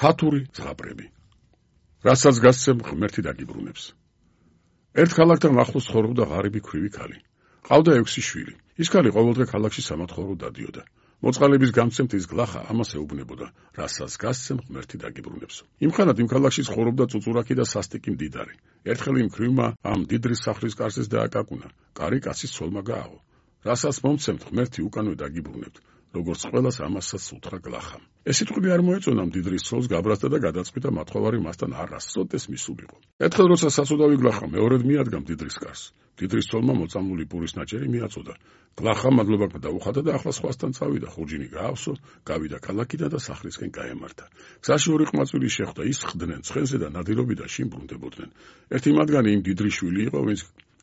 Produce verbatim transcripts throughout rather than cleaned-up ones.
ქათური ზღაპრები. რასაც გასცემ ღმერთი დაგიბრუნებს. ერთ ქალაქთან ახლოს ცხოვრობდა ღარიბი ქვრივი ქალი. ყავდა ექვსი შვილი. ის ქალი ყოველდღე ქალაქში სამათხოვრო დადიოდა. მოწყალების გამცემთ ის გლახა ამას ეუბნებოდა, რასაც გასცემ ღმერთი დაგიბრუნებს. იმხანად იმ ქალაქში ცხოვრობდა წუწურაკი და სასტიკი მდიდარი. ერთხელ იმ ქვრივმა ამ დიდრის სახლის კარზეს დააკაკუნა. კარი კაცის ცოლმა გააღო. რასაც მომცემთ ღმერთი უკანვე დაგიბრუნებთ. როგორც ყველას ამასაც უთხრა გლახამ. ეს სიტყვები არ მოეწონა მდიდრის ცოლს გაბრაზდა და გადაწყვიტა მათხოვარი მასთან არასოდეს მისულიყო. ერთხელ როცა საცუდავი გლახა მეორედ მიადგა მდიდრის კარს, მდიდრის ცოლმა მოწამლული პურის ნაჭერი მიაწოდა. გლახამ მადლობა დაუხადა და ახლა სხვასთან წავიდა, ხურჯინი გაავსო, გავიდა ქალაქიდან და სახლისკენ გაემართა. გზაში ორი ყმაწვილი შეხვდა, ის ხდნენ ცხენზე და ნადირობიდან შინ ბრუნდებოდნენ. ერთი მათგანი იმ დიდრის შვილი იყო, ვინც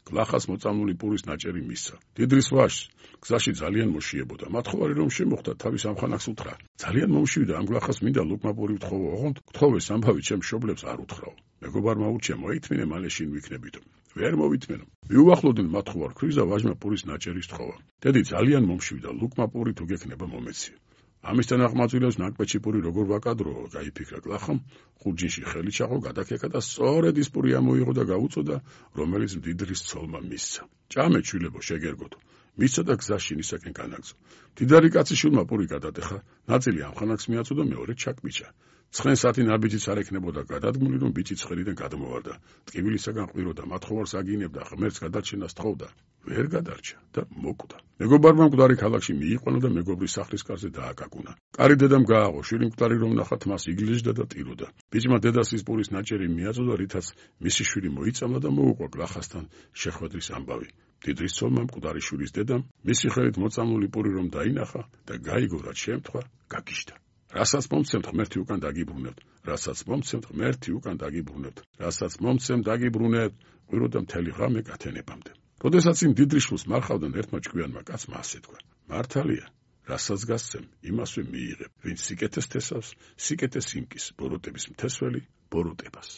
გლახას მოწამლული პურის ნაჭერი მისცა. დიდრის ვაჟს გზაში ძალიან მოშიებოდა. მათხოვარი რომ შემოხვდა, თავის ამხანაგს უთხრა: ძალიან მომშვიდა, ამ გლახას მინდა ლუკმა პური ვთხოვო, ოღონდ გთხოვეს ამბავი ჩემ მშობლებს არ უთხრაო. მეგობარმა ურჩია, მოითმინე, მალე შინ ვიქნებითო. ვერ მოვითმენო. მიუახლოვდნენ მათხოვარ ქვრივს და ვაჟმა პურის ნაჭერის თხოვა. დედი ძალიან მომშვიდა, ლუკმა პური თუ გექნება მომეცია. ამისთან აღმაწვილებს ნაკვეთში პური როგორ ვაკადროო, გაიფიქრა გლახამ, ხურჯინში ხელი ჩაღო, გადაკეკა და სწორედ ის პური ამოიღო და გაუწოდა, რომელიც მდიდრის ცოლმა მისცა. ჭამე შვილებო, შეგერგოთო. მისცა და გზაში ისაკენ განაგზო. მდიდარი კაცი შვილმა პური გადატეხა, ნაწილი ამხანაგს მიაწოდა, მეორე ჩაკბიჭა. ცხენ სათი ნაბიჯიც არ ექნებოდა გადადგმული, რომ ბიჭი ცხელიდან გადმოვარდა. ტკივილისაგან ყვიროდა, მათხოვარს აგინებდა, ღმერთს გადარჩენას თხოვდა. ვერ გადარჩა და მოკვდა. მეგობარმა მკვდარი ქალაქში მიიყვანა და მეგობრის სახლის კარზე დააკაკუნა. კარი დედამ გააღო, შვილი მკვდარი რომ ნახა, თმას იგლეჯდა და ტიროდა. ბიჭმა დედას ის პურის ნაჭერი მიაწოდა, რითაც მისი შვილი მოიწამლა და მოუყვა გლახასთან შეხვედრის ამბავი. დიდრის ცოლმა მკვდარი შვილის დედამ მისი ხელით მოწამლული პური რომ დაინახა და გაიგო, რაც შემთხვევა, გაგიშდა. რასაც მომცემთ ღმერთი უკან დაგიბრუნებთ, რასაც მომცემთ ღმერთი უკან დაგიბრუნებთ, რასაც მომცემთ დაგიბრუნებთ, ყვიროდა მთელი ღამე კათენებამდე. როდესაც იმ დიდრის შვილს მარხავდნენ, ერთმა ჭკვიანმა კაცმა ასე თქვა: მართალია, რასაც გასცემ, იმასვე მიიღებ, ვინც სიკეთეს თესავს, სიკეთეს იმკის, ბოროტების მთესველი ბოროტებას.